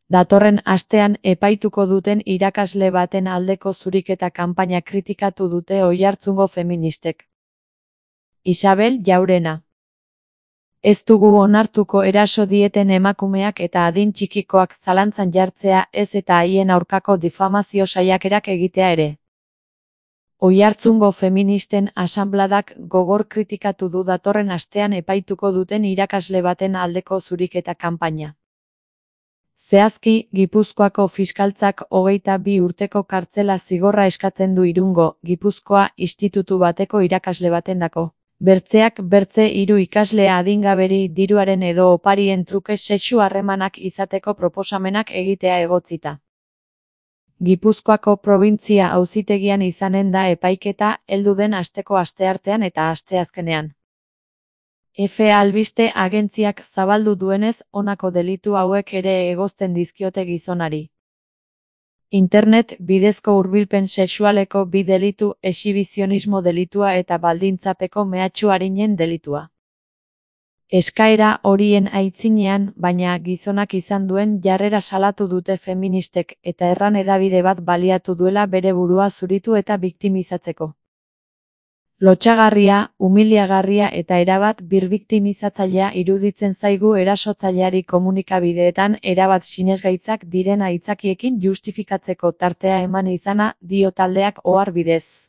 Datorren astean epaituko duten irakasle baten aldeko zuriketa kanpaina kritikatu dute Oiartzungo feministek. Isabel Jaurena. Ez dugu onartuko eraso dieten emakumeak eta adin txikikoak zalantzan jartzea, ez eta haien aurkako difamazio saiakerak egitea ere. Oiartzungo feministen asanbladak gogor kritikatu du datorren astean epaituko duten irakasle baten aldeko zuriketa kanpaina. Zehazki, Gipuzkoako fiskaltzak 22 urteko kartzela zigorra eskatzen du Irungo, Gipuzkoa institutu bateko irakasle batendako. Bertzeak bertze 3 ikasle adingaberi diruaren edo oparien truke sexu harremanak izateko proposamenak egitea egotzita. Gipuzkoako probintzia auzitegian izanen da epaiketa heldu den asteko asteartean eta asteazkenean. Efe albiste agentziak zabaldu duenez, honako delitu hauek ere egozten dizkiote gizonari. Internet bidezko hurbilpen sexualeko 2 delitu, exhibizionismo delitua eta baldintzapeko mehatxu arinen delitua. Eskaera horien aitzinean, baina gizonak izan duen jarrera salatu dute feministek eta erran hedabide bat baliatu duela bere burua zuritu eta biktimizatzeko. Lotsagarria, umiliagarria eta erabat birbiktimizatzailea iruditzen zaigu erasotzaileari komunikabideetan erabat sinesgaitzak diren aitzakiekin justifikatzeko tartea eman izana, dio taldeak ohar bidez.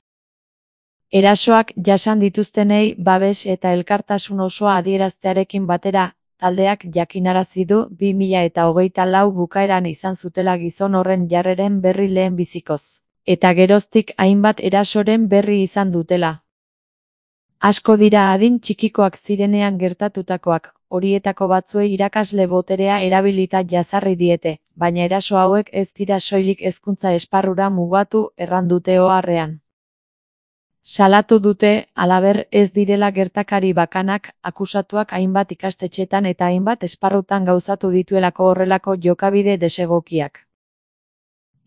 Erasoak jasan dituztenei babes eta elkartasun osoa adieraztearekin batera, taldeak jakinarazi du 2024 bukaeran izan zutela gizon horren jarreren berri lehen bizikoz, eta geroztik hainbat erasoren berri izan dutela. Asko dira adin txikikoak zirenean gertatutakoak, horietako batzuei irakasle boterea erabilita jazarri diete, baina eraso hauek ez dira soilik hezkuntza esparrura mugatu, erran dute oharrean. Salatu dute, halaber, ez direla gertakari bakanak, akusatuak hainbat ikastetxetan eta hainbat esparrutan gauzatu dituelako horrelako jokabide desegokiak.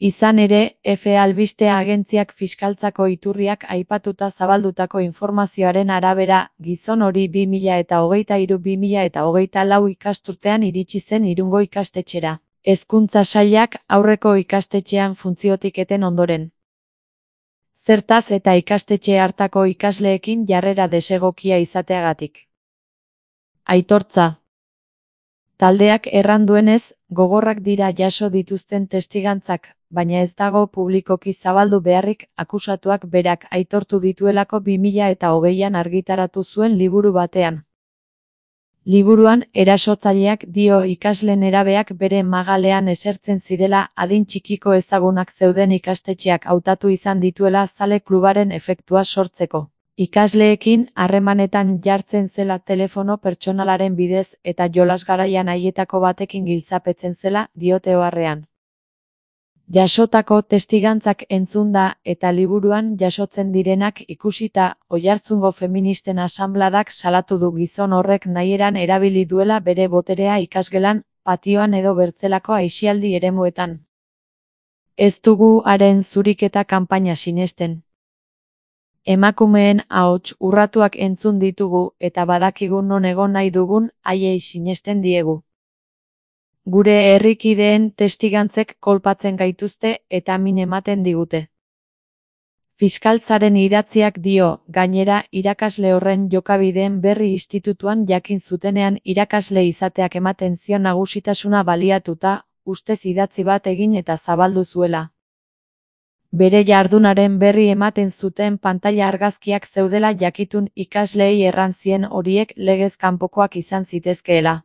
Izan ere, Efe albiste agentziak fiskaltzako iturriak aipatuta zabaldutako informazioaren arabera, gizon hori 2023-2024 ikasturtean iritsi zen Irungo ikastetxera. Hezkuntza sailak aurreko ikastetxean funtziotik eten ondoren. Zertaz eta ikastetxe hartako ikasleekin jarrera desegokia izateagatik. Aitortza. Taldeak erran duenez, gogorrak dira jaso dituzten testigantzak, baina ez dago publikoki zabaldu beharrik, akusatuak berak aitortu dituelako 2020an argitaratu zuen liburu batean. Liburuan, erasotzaileak dio ikasle nerabeak bere magalean esertzen zirela adin txikiko ezagunak zeuden ikastetxeak hautatu izan dituela zale klubaren efektua sortzeko. Ikasleekin harremanetan jartzen zela telefono pertsonalaren bidez eta jolas garaian haietako batekin giltzapetzen zela, diote oharrean. Jasotako testigantzak entzunda eta liburuan jasotzen direnak ikusita, Oiartzungo feministen asanbladak salatu du gizon horrek nahieran erabili duela bere boterea ikasgelan, patioan edo bertzelako aisialdi eremuetan. Ez dugu haren zuriketa kanpaina sinesten. Emakumeen ahots urratuak entzun ditugu eta badakigu non egon nahi dugun haiei sinesten diegu. Gure herrikideen testigantzek kolpatzen gaituzte eta min ematen digute. Fiskaltzaren idatziak dio, gainera, irakasle horren jokabideen berri institutuan jakin zutenean irakasle izateak ematen zion nagusitasuna baliatuta, ustez idatzi bat egin eta zabaldu zuela. Bere jardunaren berri ematen zuten pantaila argazkiak zeudela jakitun ikasleei erran zien horiek legez kanpokoak izan zitezkeela.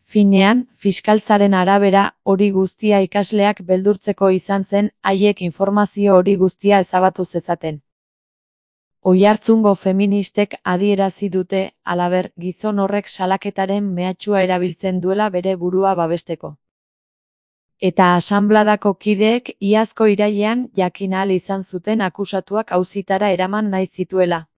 Finean, fiskaltzaren arabera, hori guztia ikasleak beldurtzeko izan zen, haiek informazio hori guztia ezabatu zezaten. Oiartzungo feministek adierazi dute, halaber, gizon horrek salaketaren mehatxua erabiltzen duela bere burua babesteko. Eta asanbladako kideek iazko irailean jakin ahal izan zuten akusatuak auzitara eraman nahi zituela.